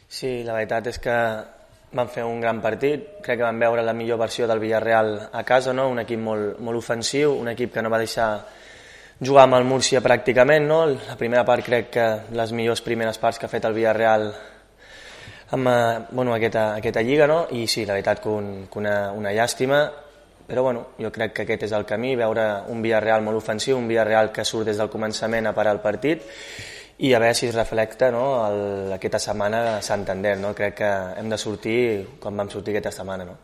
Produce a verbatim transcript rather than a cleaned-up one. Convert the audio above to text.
Sí, la veritat és que van fer un gran partit, crec que van veure la millor versió del Villarreal a casa, no? Un equip molt, molt ofensiu, un equip que no va deixar jugar amb el Múrcia pràcticament, no? La primera part crec que les millors primeres parts que ha fet el Villarreal amb bueno, aquesta, aquesta lliga, no? I sí, la veritat que, un, que una, una llàstima, però bueno, jo crec que aquest és el camí, veure un Villarreal molt ofensiu, un Villarreal que surt des del començament a parar el partit i a veure si es reflecta, no, el, aquesta setmana a Santander, no? Crec que hem de sortir com vam sortir aquesta setmana, no?